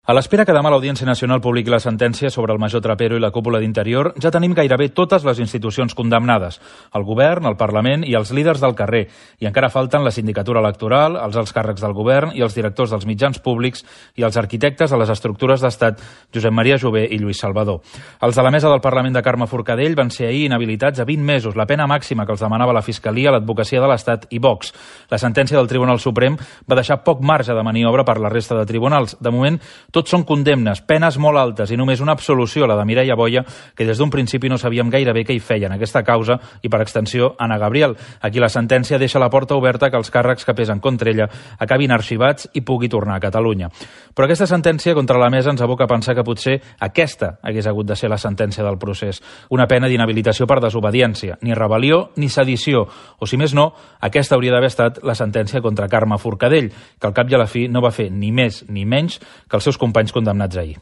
A l'espera que demà l'Audiència Nacional publiqui la sentència sobre el major Trapero i la cúpula d'Interior, ja tenim gairebé totes les institucions condemnades: el govern, el Parlament i els líders del carrer. I encara falten la sindicatura electoral, els alts càrrecs del govern i els directors dels mitjans públics i els arquitectes de les estructures d'estat Josep Maria Jové i Lluís Salvador. Els de la mesa del Parlament de Carme Forcadell van ser ahir inhabilitats a 20 mesos, la pena màxima que els demanava la Fiscalia, l'Advocacia de l'Estat i Vox. La sentència del Tribunal Suprem va deixar poc marge de maniobra per la resta de tribunals. De moment, tots són condemnes, penes molt altes i només una absolució, la de Mireia Boya, que des d'un principi no sabíem gairebé què hi feia en aquesta causa, i per extensió Anna Gabriel. Aquí la sentència deixa la porta oberta que els càrrecs que pesen contra ella acabin arxivats i pugui tornar a Catalunya. Però aquesta sentència contra la mesa ens aboca a pensar que potser aquesta hagués hagut de ser la sentència del procés. Una pena d'inhabilitació per desobediència, ni rebel·lió ni sedició, o si més no, aquesta hauria d'haver estat la sentència contra Carme Forcadell, que al cap i a la fi no va fer ni més ni menys que els seus companys condemnats ahir.